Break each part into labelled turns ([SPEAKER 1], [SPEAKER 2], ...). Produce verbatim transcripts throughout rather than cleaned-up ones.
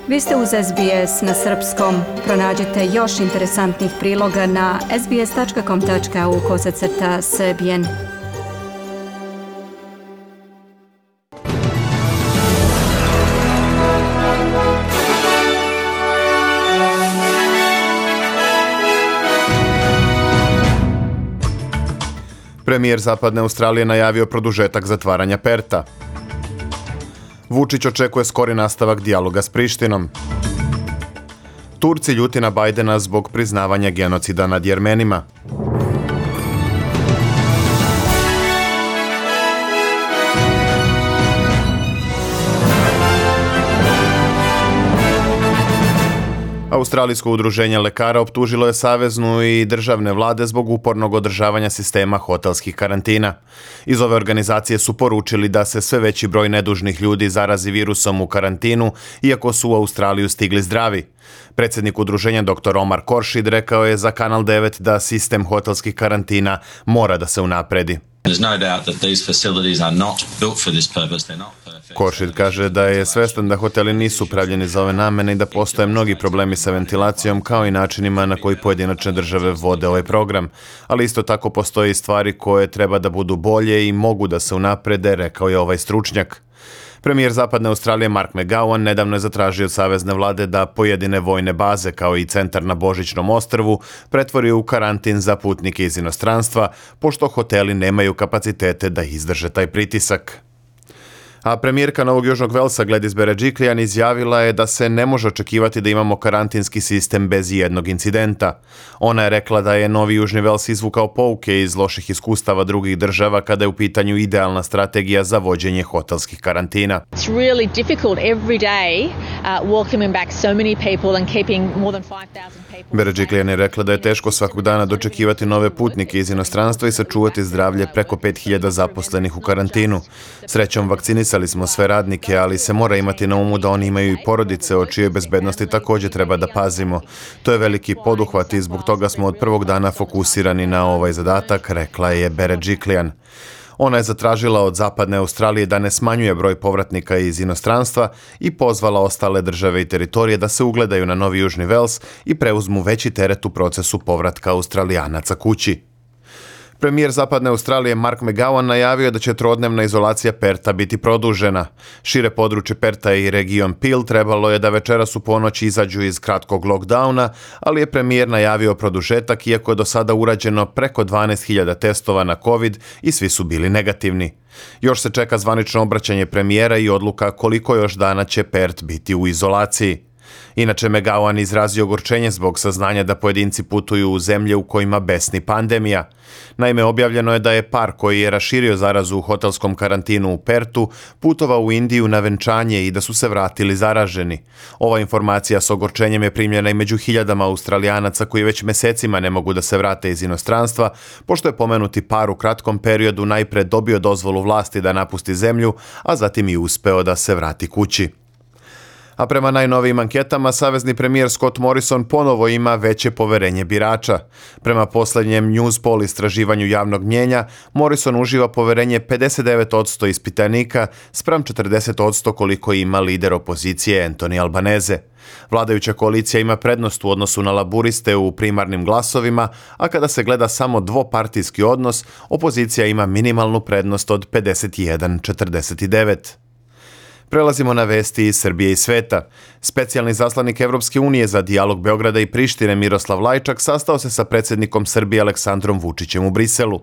[SPEAKER 1] Vi ste uz S B S na srpskom. Pronađite još interesantnih priloga na sbs.com.au kosacrta srbijen.
[SPEAKER 2] Premijer Zapadne Australije najavio produžetak zatvaranja Perta. Vučić očekuje skori nastavak dijaloga s Prištinom. Turci ljuti na Bajdena zbog priznavanja genocida nad Jermenima. Australijsko udruženje lekara optužilo je saveznu i državne vlade zbog upornog održavanja sistema hotelskih karantina. Iz ove organizacije su poručili da se sve veći broj nedužnih ljudi zarazi virusom u karantinu, iako su u Australiju stigli zdravi. Predsjednik udruženja doktor Omar Koršid rekao je za Kanal devet da sistem hotelskih karantina mora da se unapredi. Koršid kaže da je svestan da hoteli nisu pravljeni za ove namene i da postoje mnogi problemi sa ventilacijom kao i načinima na koji pojedinačne države vode ovaj program, ali isto tako postoje i stvari koje treba da budu bolje i mogu da se unaprede, rekao je ovaj stručnjak. Premijer Zapadne Australije Mark McGowan nedavno je zatražio od savezne vlade da pojedine vojne baze kao i centar na Božićnom ostrvu pretvori u karantin za putnike iz inostranstva, pošto hoteli nemaju kapacitete da izdrže taj pritisak. A premijerka Novog Južnog Velsa Gladys Berejiklian izjavila je da se ne može očekivati da imamo karantinski sistem bez jednog incidenta. Ona je rekla da je Novi Južni Vels izvukao pouke iz loših iskustava drugih država kada je u pitanju idealna strategija za vođenje hotelskih karantina.
[SPEAKER 3] It's really difficult every day uh, welcoming back so many people and keeping more than five thousand people.
[SPEAKER 2] Berejiklian je rekla da je teško svakog dana dočekivati nove putnike iz inostranstva i sačuvati zdravlje preko pet hiljada zaposlenih u karantinu. Srećom, vakcinisali smo sve radnike, ali se mora imati na umu da oni imaju i porodice o čijoj bezbednosti također treba da pazimo. To je veliki poduhvat i zbog toga smo od prvog dana fokusirani na ovaj zadatak, rekla je Berejiklian. Ona je zatražila od Zapadne Australije da ne smanjuje broj povratnika iz inostranstva i pozvala ostale države i teritorije da se ugledaju na Novi Južni Vels i preuzmu veći teret u procesu povratka Australijanaca kući. Premijer Zapadne Australije Mark McGowan najavio da će trodnevna izolacija Perta biti produžena. Šire područje Perta i region Peel trebalo je da večeras u ponoć izađu iz kratkog lockdowna, ali je premijer najavio produžetak iako je do sada urađeno preko dvanaest hiljada testova na COVID i svi su bili negativni. Još se čeka zvanično obraćanje premijera i odluka koliko još dana će Pert biti u izolaciji. Inače, McGowan izrazio ogorčenje zbog saznanja da pojedinci putuju u zemlje u kojima besni pandemija. Naime, objavljeno je da je par koji je raširio zarazu u hotelskom karantinu u Pertu putovao u Indiju na venčanje i da su se vratili zaraženi. Ova informacija s ogorčenjem je primljena i među hiljadama Australijanaca koji već mesecima ne mogu da se vrate iz inostranstva, pošto je pomenuti par u kratkom periodu najpre dobio dozvolu vlasti da napusti zemlju, a zatim i uspeo da se vrati kući. A prema najnovijim anketama, savezni premijer Scott Morrison ponovo ima veće poverenje birača. Prema posljednjem Newspoll istraživanju javnog mnjenja, Morrison uživa poverenje pedeset devet posto ispitanika spram četrdeset posto koliko ima lider opozicije Anthony Albanese. Vladajuća koalicija ima prednost u odnosu na laburiste u primarnim glasovima, a kada se gleda samo dvopartijski odnos, opozicija ima minimalnu prednost od pedeset jedan četrdeset devet. Prelazimo na vesti iz Srbije i sveta. Specijalni zaslanik Evropske unije za dijalog Beograda i Prištine Miroslav Lajčak sastao se sa predsjednikom Srbije Aleksandrom Vučićem u Briselu.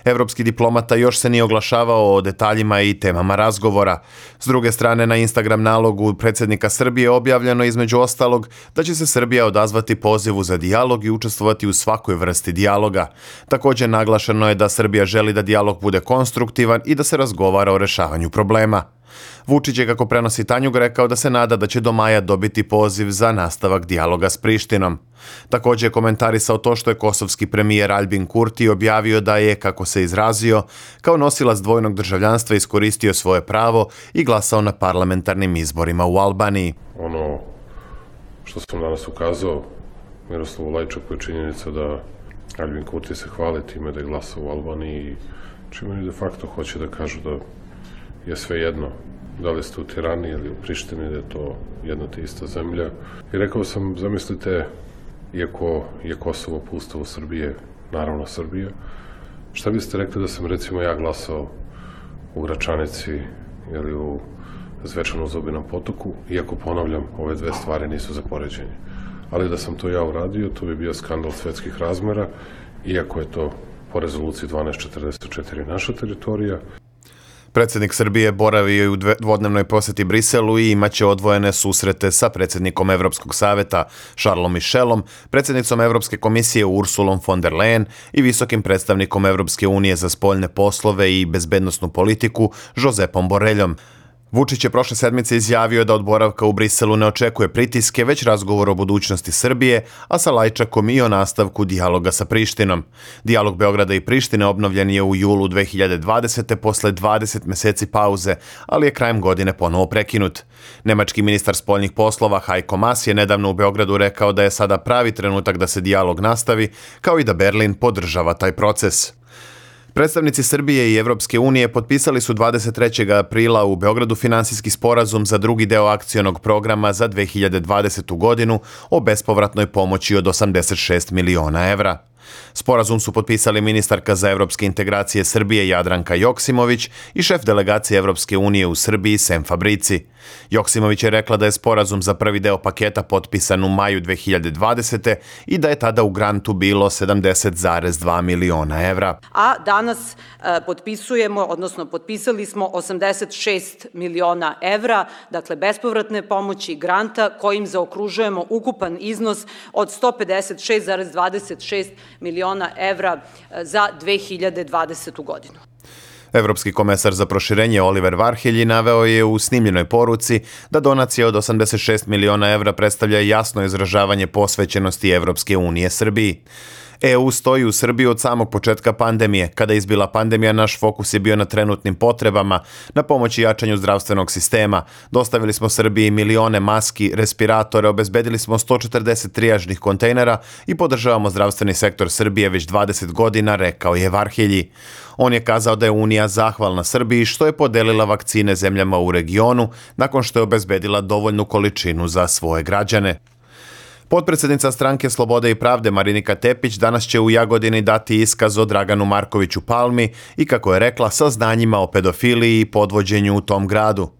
[SPEAKER 2] Evropski diplomata još se nije oglašavao o detaljima i temama razgovora. S druge strane, na Instagram nalogu predsjednika Srbije objavljeno između ostalog da će se Srbija odazvati pozivu za dijalog i učestvovati u svakoj vrsti dijaloga. Također naglašeno je da Srbija želi da dijalog bude konstruktivan i da se razgovara o rešavanju problema. Vučić je, kako prenosi Tanjug, rekao da se nada da će do maja dobiti poziv za nastavak dijaloga s Prištinom. Također je komentarisao to što je kosovski premijer Albin Kurti objavio da je, kako se izrazio, kao nosilac dvojnog državljanstva iskoristio svoje pravo i glasao na parlamentarnim izborima u Albaniji.
[SPEAKER 4] Ono što sam danas ukazao Miroslavu Lajčaku je činjenica da Albin Kurti se hvali time da je glasao u Albaniji, čime de facto hoće da kažu da je sve jedno da li ste u Tirani ili u Prištini, da je to jedna te ista zemlja. I rekao sam, zamislite, iako je Kosovo po ustavu Srbije, naravno Srbija, šta biste rekli da sam recimo ja glasao u Gračanici ili u Zvečanom Zobinom potoku, iako ponavljam, ove dve stvari nisu za poređenje. Ali da sam to ja uradio, to bi bio skandal svetskih razmera, iako je to po rezoluciji dvanaest četrdeset četiri naša teritorija.
[SPEAKER 2] Predsjednik Srbije boravio je u dvodnevnoj posjeti Briselu i imaće odvojene susrete sa predsjednikom Evropskog saveta Charlesom Michelom, predsjednicom Evropske komisije Ursulom von der Leyen i visokim predstavnikom Evropske unije za spoljne poslove i bezbednosnu politiku Josepom Borreljom. Vučić je prošle sedmice izjavio da od boravka u Briselu ne očekuje pritiske, već razgovor o budućnosti Srbije, a sa Lajčakom i o nastavku dijaloga sa Prištinom. Dijalog Beograda i Prištine obnovljen je u julu dve hiljade dvadesete posle dvadeset meseci pauze, ali je krajem godine ponovo prekinut. Nemački ministar spoljnih poslova Heiko Maas je nedavno u Beogradu rekao da je sada pravi trenutak da se dijalog nastavi, kao i da Berlin podržava taj proces. Predstavnici Srbije i Evropske unije potpisali su dvadeset trećeg aprila u Beogradu finansijski sporazum za drugi deo akcionog programa za dve hiljade dvadesetu godinu o bespovratnoj pomoći od osamdeset šest miliona evra. Sporazum su potpisali ministarka za evropske integracije Srbije Jadranka Joksimović i šef delegacije Evropske unije u Srbiji Sem Fabrici. Joksimović je rekla da je sporazum za prvi deo paketa potpisan u maju dve hiljade dvadesete i da je tada u grantu bilo sedamdeset zarez dva miliona evra.
[SPEAKER 5] A danas e, potpisujemo, odnosno potpisali smo osamdeset šest miliona evra, dakle bespovratne pomoći granta kojim zaokružujemo ukupan iznos od sto pedeset šest zarez dvadeset šest miliona evra za dve hiljade dvadesetu godinu.
[SPEAKER 2] Evropski komesar za proširenje Oliver Varhelji naveo je u snimljenoj poruci da donacija od osamdeset šest miliona evra predstavlja jasno izražavanje posvećenosti Evropske unije Srbiji. E U stoji u Srbiji od samog početka pandemije. Kada je izbila pandemija, naš fokus je bio na trenutnim potrebama, na pomoći jačanju zdravstvenog sistema. Dostavili smo Srbiji milione maski, respiratore, obezbedili smo sto četrdeset trijažnih kontejnera i podržavamo zdravstveni sektor Srbije već dvadeset godina, rekao je Varhelji. On je kazao da je Unija zahvalna Srbiji što je podelila vakcine zemljama u regionu nakon što je obezbedila dovoljnu količinu za svoje građane. Potpredsjednica Stranke Slobode i pravde Marinika Tepić danas će u Jagodini dati iskaz o Draganu Markoviću Palmi i, kako je rekla, saznanjima o pedofiliji i podvođenju u tom gradu.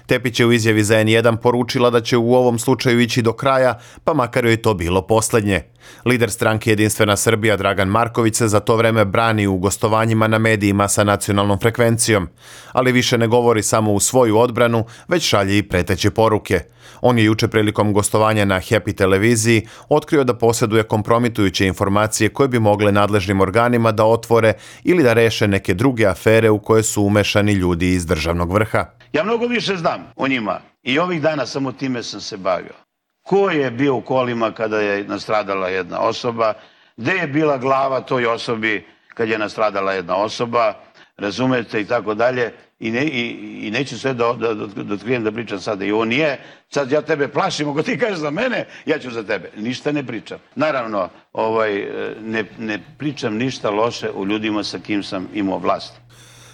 [SPEAKER 2] Tepić je u izjavi za N jedan poručila da će u ovom slučaju ići do kraja, pa makar joj to bilo posljednje. Lider stranke Jedinstvena Srbija Dragan Marković se za to vreme brani u gostovanjima na medijima sa nacionalnom frekvencijom, ali više ne govori samo u svoju odbranu, već šalje i preteće poruke. On je juče prilikom gostovanja na Happy televiziji otkrio da posjeduje kompromitujuće informacije koje bi mogle nadležnim organima da otvore ili da reše neke druge afere u koje su umešani ljudi iz državnog vrha.
[SPEAKER 6] Ja mnogo više znam o njima i ovih dana samo time sam se bavio. Ko je bio u kolima kada je nastradala jedna osoba, gde je bila glava toj osobi kad je nastradala jedna osoba, razumete, i tako dalje. I, ne, i, i neću sve da, da, da, da otkrijem da pričam sada. I ovo nije, sad ja tebe plašim, ako ti kažeš za mene, ja ću za tebe. Ništa ne pričam. Naravno, ovaj, ne, ne pričam ništa loše o ljudima sa kim sam imao vlast.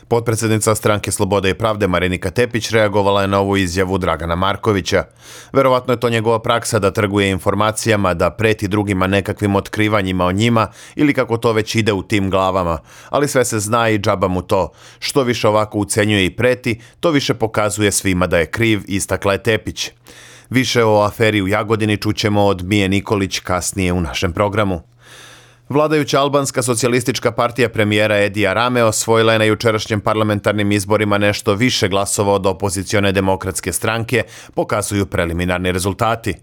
[SPEAKER 2] Potpredsjednica Stranke Slobode i pravde Marinika Tepić reagovala je na ovu izjavu Dragana Markovića. Verovatno je to njegova praksa da trguje informacijama, da preti drugima nekakvim otkrivanjima o njima ili kako to već ide u tim glavama. Ali sve se zna i džaba mu to. Što više ovako ucenjuje i preti, to više pokazuje svima da je kriv, istakla je Tepić. Više o aferi u Jagodini čućemo od Mije Nikolić kasnije u našem programu. Vladajuća albanska socijalistička partija premijera Edija Rame osvojila je na jučerašnjem parlamentarnim izborima nešto više glasova od opozicione demokratske stranke, pokazuju preliminarni rezultati.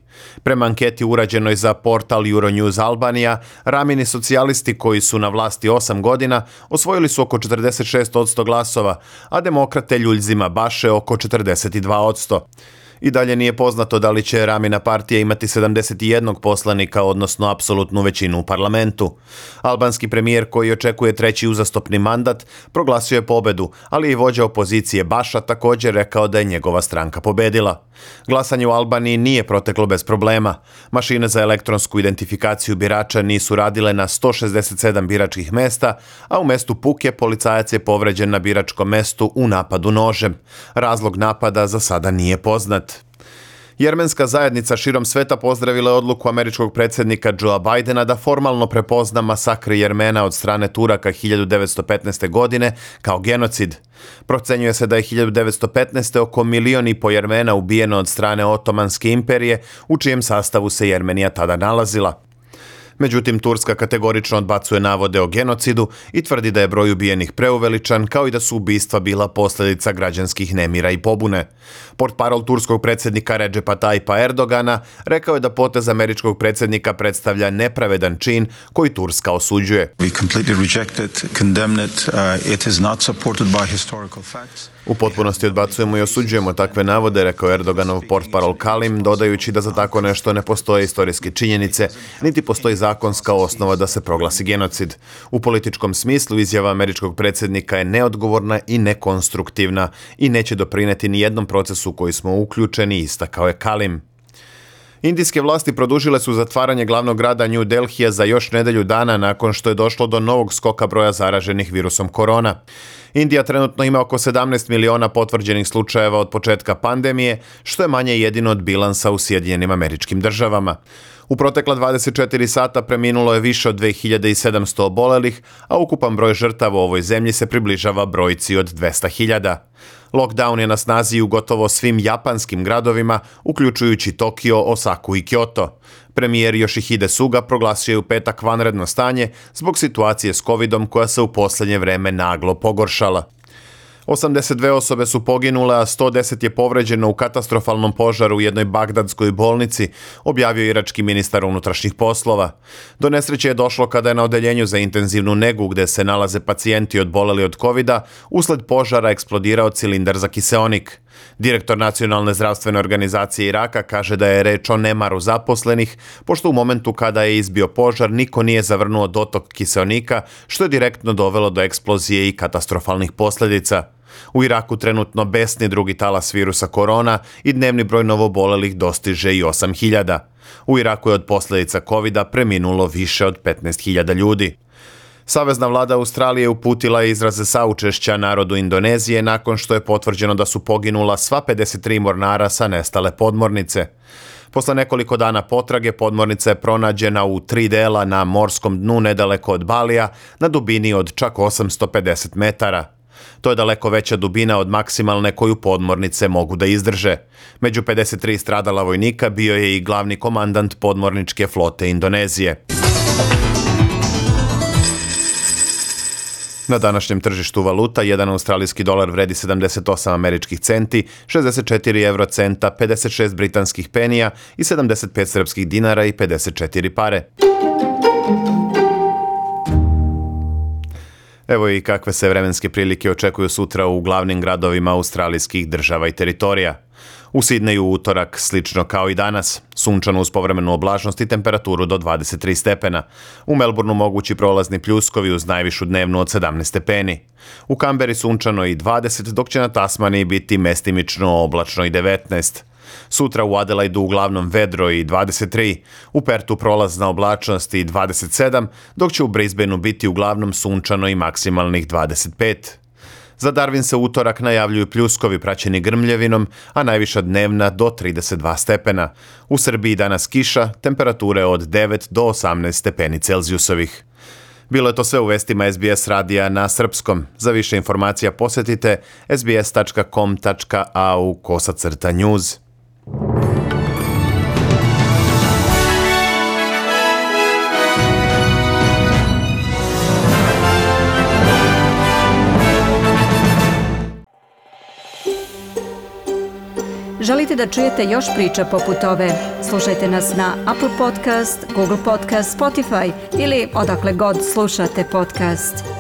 [SPEAKER 2] Prema anketi urađenoj za portal Euronews Albanija, Ramini socijalisti koji su na vlasti osam godina osvojili su oko četrdeset šest posto glasova, a demokrate Ljuljzima Baše oko četrdeset dva posto. I dalje nije poznato da li će Ramina partija imati sedamdeset jedan poslanika, odnosno apsolutnu većinu u parlamentu. Albanski premijer, koji očekuje treći uzastopni mandat, proglasio je pobedu, ali i vođa opozicije Baša također rekao da je njegova stranka pobedila. Glasanje u Albaniji nije proteklo bez problema. Mašine za elektronsku identifikaciju birača nisu radile na sto šezdeset sedam biračkih mesta, a u mestu Puke policajac je povređen na biračkom mestu u napadu nožem. Razlog napada za sada nije poznat. Jermenska zajednica širom sveta pozdravila je odluku američkog predsjednika Joea Bidena da formalno prepozna masakri Jermena od strane Turaka hiljadu devetsto petnaeste. godine kao genocid. Procenjuje se da je hiljadu devetsto petnaeste. oko milion i po Jermena ubijeno od strane Otomanske imperije, u čijem sastavu se Jermenija tada nalazila. Međutim, Turska kategorično odbacuje navode o genocidu i tvrdi da je broj ubijenih preuveličan, kao i da su ubistva bila posljedica građanskih nemira i pobune. Portparol turskog predsjednika Recepa Tayyipa Erdogana rekao je da potez američkog predsjednika predstavlja nepravedan čin koji Turska osuđuje.
[SPEAKER 7] We completely reject it, condemn it. Uh, it is not supported by historical facts.
[SPEAKER 2] U potpunosti odbacujemo i osuđujemo takve navode, rekao Erdoganov portparol Kalim, dodajući da za tako nešto ne postoje istorijske činjenice, niti postoji zakonska osnova da se proglasi genocid. U političkom smislu izjava američkog predsjednika je neodgovorna i nekonstruktivna i neće doprinijeti ni jednom procesu u koji smo uključeni, istakao je Kalim. Indijske vlasti produžile su zatvaranje glavnog grada New Delhija za još nedelju dana nakon što je došlo do novog skoka broja zaraženih virusom korona. Indija trenutno ima oko sedamnaest miliona potvrđenih slučajeva od početka pandemije, što je manje jedino od bilansa u Sjedinjenim Američkim Državama. U protekla dvadeset četiri sata preminulo je više od dve hiljade sedamsto obolelih, a ukupan broj žrtava u ovoj zemlji se približava brojci od dvesta hiljada. Lockdown je na snazi u gotovo svim japanskim gradovima, uključujući Tokio, Osaku i Kyoto. Premijer Yoshihide Suga proglasio je u petak vanredno stanje zbog situacije s covidom koja se u posljednje vreme naglo pogoršala. osamdeset dve osobe su poginule, a sto deset je povređeno u katastrofalnom požaru u jednoj bagdadskoj bolnici, objavio irački ministar unutrašnjih poslova. Do nesreće je došlo kada je na odeljenju za intenzivnu negu, gde se nalaze pacijenti odboleli od covida, usled požara eksplodirao cilindar za kiseonik. Direktor Nacionalne zdravstvene organizacije Iraka kaže da je reč o nemaru zaposlenih, pošto u momentu kada je izbio požar niko nije zavrnuo dotok kiseonika, što je direktno dovelo do eksplozije i katastrofalnih posljedica. U Iraku trenutno besni drugi talas virusa korona i dnevni broj novobolelih dostiže i osam hiljada. U Iraku je od posljedica covida preminulo više od petnaest hiljada ljudi. Savezna vlada Australije uputila je izraze saučešća narodu Indonezije nakon što je potvrđeno da su poginula sva pedeset tri mornara sa nestale podmornice. Posle nekoliko dana potrage podmornica je pronađena u tri dela na morskom dnu nedaleko od Balija na dubini od čak osamsto pedeset metara. To je daleko veća dubina od maksimalne koju podmornice mogu da izdrže. Među pedeset tri stradala vojnika bio je i glavni komandant podmorničke flote Indonezije. Na današnjem tržištu valuta, jedan australijski dolar vredi sedamdeset osam američkih centi, šezdeset četiri evrocenta, pedeset šest britanskih penija i sedamdeset pet srpskih dinara i pedeset četiri pare. Evo i kakve se vremenske prilike očekuju sutra u glavnim gradovima australijskih država i teritorija. U Sidneju utorak slično kao i danas, sunčano uz povremenu oblačnost i temperaturu do dvadeset tri stepena. U Melbourneu mogući prolazni pljuskovi uz najvišu dnevnu od sedamnaest stepeni. U Kamberi sunčano i dvadeset, dok će na Tasmaniji biti mestimično oblačno i devetnaest. Sutra u Adelaidu uglavnom vedro i dvadeset tri, u Pertu prolazna oblačnost i dvadeset sedam, dok će u Brisbaneu biti uglavnom sunčano i maksimalnih dvadeset pet. Za Darwin se utorak najavljuju pljuskovi praćeni grmljevinom, a najviša dnevna do trideset dva stepena. U Srbiji danas kiša, temperature od devet do osamnaest stepeni Celzijusovih. Bilo je to sve u vestima S B S radija na srpskom. Za više informacija posjetite sbs tačka com tačka a u kosacrta news.
[SPEAKER 1] Želite da čujete još priča poput ove? Slušajte nas na Apple Podcast, Google Podcast, Spotify ili odakle god slušate podcast.